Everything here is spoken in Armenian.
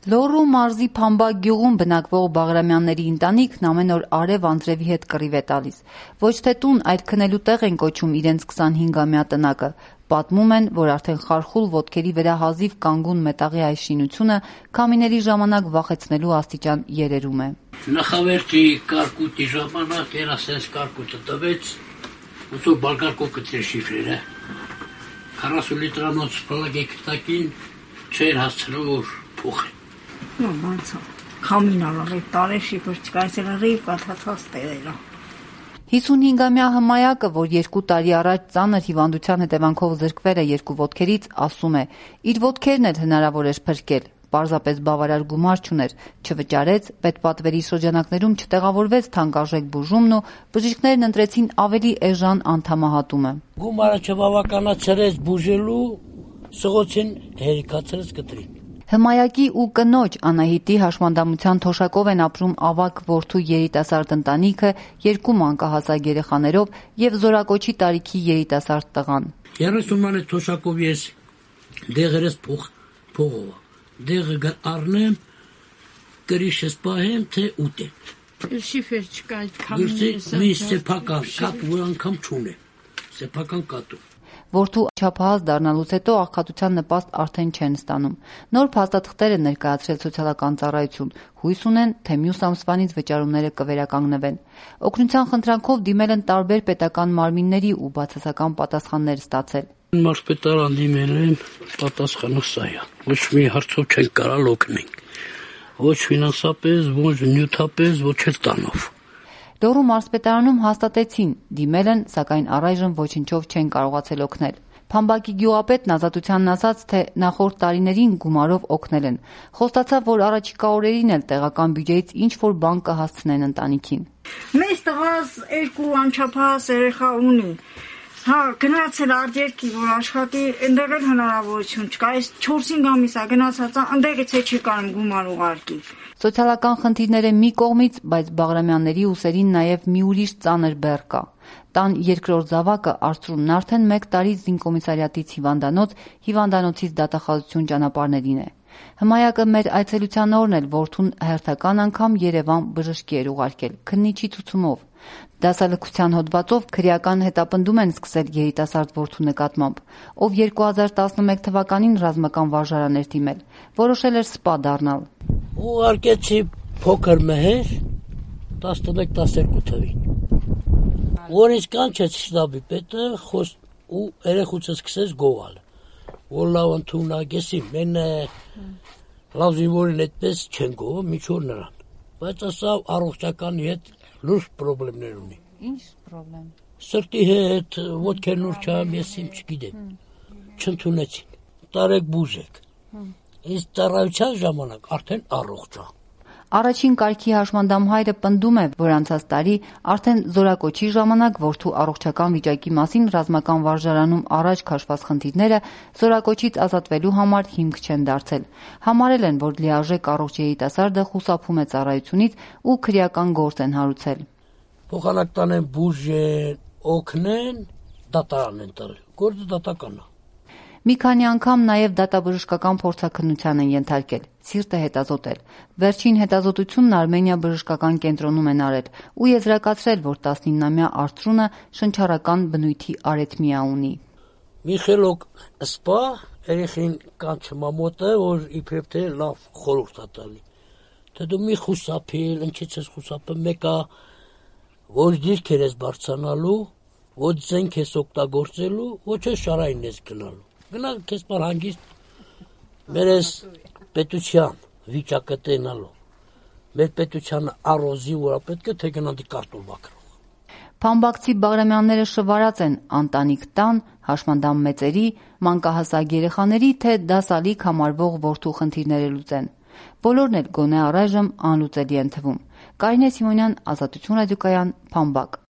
Լոռու մարզի Փամբակ գյուղում բնակվող Բաղրամյանների ընտանիքն ամեն օր արև Անդրևի հետ կռիվ է տալիս։ Ոչ թե տուն, այլ քնելու տեղ են կոչում իրենց 25-ամյա տնակը։ Պատմում են, որ արդեն խարխուլ ոտքերի վրա հազիվ կանգուն մետաղի այս շինությունը քամիների ժամանակ վախեցնելու աստիճան երերում է։ Նախավերթի կարկուտի ժամանակ երասենց կարկուտը տվեց, ուսոր բարգարկոկը ծեր շիֆրերը, 40 լիտրանոց պլագեք տակին չեր հասցրու, որ փուխ է։ Քամին ալավ է տարե շիֆր չկայսել ռիվ կաթացած տեղերա։ 55-ամյա Հմայակը, որ 2 տարի առաջ ծանր հիվանդության հետևանքով զրկվել է 2 ոտքերից, ասում է, իր ոտքերն էլ հնարավոր էր փրկել, պարզապես բավարար գումար չուներ, չվճարեց, պետպատվերի շրջանակներում չտեղավորվեց թանկարժեք բուժումն ու բժիշկներն ընտրեցին ավելի էժան անդամահատումը։ Գումարը չբավականացրեց բուժելու, սղոցին հերիքացրեց կտրին։ Հմայակի ու կնոջ Անահիտի հաշմանդամության թոշակով են ապրում ավագ որդու երիտասարդ ընտանիքը 2 մանկահասակ երեխաներով եւ զորակոչի տարիքի երիտասարդ տղան։ 30 մանե թոշակով ես դեղերս փողով։ Դեղը առնեմ, կրիշս պահեմ, թե ուտեմ։ Շիֆեր չկա այդ քամին։ Մի սեփական կատ ու անգամ չունեմ։ Սեփական կատու։ Որդու չափահաս դառնալուց հետո աղքատության նպաստ արդեն չեն ստանում։ Նոր փաստաթղթեր են ներկայացրել սոցիալական ծառայություն, հույս ունեն, թե մյուս ամսվանից վճարումները կվերականգնվեն։ Օգնության խնդրանքով դիմել են տարբեր պետական մարմինների ու բացասական պատասխաններ ստացել։ Մարզպետարան դիմել եմ, պատասխանը սա է։ Ոչ մի հարցով չեն կարալ օգնենք։ Ոչ ֆինանսապես, ոչ նյութապես, ոչ էլ տանով։ Լոռու մարզպետարանում հաստատեցին, դիմել են, սակայն առայժմ ոչնչով չեն կարողացել օգնել։ Փամբակի գյուղապետն Ազատությանն ասաց, թե նախորդ տարիներին գումարով օգնել են։ Խոստացավ, որ առաջիկա օրերին էլ տեղական բյուջեից ինչ-որ բան կհասցնեն ընտանիքին։ Մեծ տղաս 2 անչափահաս երեխա ունի։ Գնացել արտերկի, որ աշխատի, ընդեղ էլ հնարավորություն չկա, այս 4-5 ամիս է գնացած, ընդեղից է չի կարում գումար ուղարկի։ Սոցիալական խնդիրները մի կողմից, բայց Բաղրամյանների ուսերին նաև մի ուրիշ ծանր բեռ կա։ Տան երկրորդ զավակը Արծրունն արդեն 1 տարի զինկոմիսարիատից հիվանդանոցից դատախազություն ճանապարհներին է։ Հմայակը մեր այցելության օրն էլ որդուն հերթական անգամ Երևան բժշկի էր ուղարկել, քննիչի ցուցումով։ Դասալքության հոդվածով քրեական հետապնդում են սկսել երիտասարդ որդու նկատմամբ, ով 2011 թվականին ռազմական վարժարան էր դիմել, որոշել էր սպա դառնալ։ Ուղարկեցի փոքր մեհեր 11-12 թվին։ Որից կանչեց շտաբի պետը ու երեխուցը սկսեց գողալ։ Որ լավ ընդունակ եսի, մենը լավ զինվորին այդպես չեն գողում, միջոր նրան։ Բայց ասա առողջականի հետ լուրջ պրոբլեմներ ունի։ Ինչ պրոբլեմ։ Սրտի հետ, ոտքերն ուռչամ, ես իմ չգիտեմ։ Չընդունեցին։ Տարեք բուժեք։ Իսկ ծառայության ժամանակ արդեն առողջ է։ Առաջին կարգի հաշմանդամ հայրը պնդում է, որ անցած տարի արդեն զորակոչի ժամանակ որդու առողջական վիճակի մասին ռազմական վարժարանում առաջ քաշված խնդիրները զորակոչից ազատվելու համար հիմք չեն դարձել։ Համարել են, որ լիարժեք առողջ երիտասարդը խուսափում է ծառայությունից ու քրեական գործ են հարուցել։ Փոխանակ տանեն բուժեն, օգնեն, դատարան են տալ։ Գործը դատական է։ Մի քանի անգամ նաև դատաբժշկական փորձաքննության են ենթարկել, սիրտը հետազոտել։ Վերջին հետազոտությունն Արմենիա բժշկական կենտրոնում են արել ու եզրակացրել, որ 19-ամյա Արծրունը շնչառական բնույթի արեթմիա ունի։ Միխելոկ սպա երեխին կանչում մոտը, որ իբրև թե լավ խորհուրդ է տալի։ Թե դու մի խուսափել, ինչից ես խուսափել, մեկը ոչ դիրքեր ես բարձրանալու, ոչ զենք ես օգտագործելու, ոչ շարային ես գնալու։ Գնա քեզ բար հանգիստ մեր այս պետության վիճակը տենալու։ Մեր պետությանը առոզի, որ պետք է թե գնանք կարտոլ բակրող։ Փամբակցի Բաղրամյանները շվարած են ընտանիք տան, հաշմանդամ մեծերի, մանկահասակ երեխաների, թե դասալիկ համարվող որդու խնդիրները լուծեն։ Բոլորն էլ գոնե առայժմ անլուծելի են թվում։ Կարինե Սիմոնյան, Ազատություն ռադիոկայան, Փամբակ։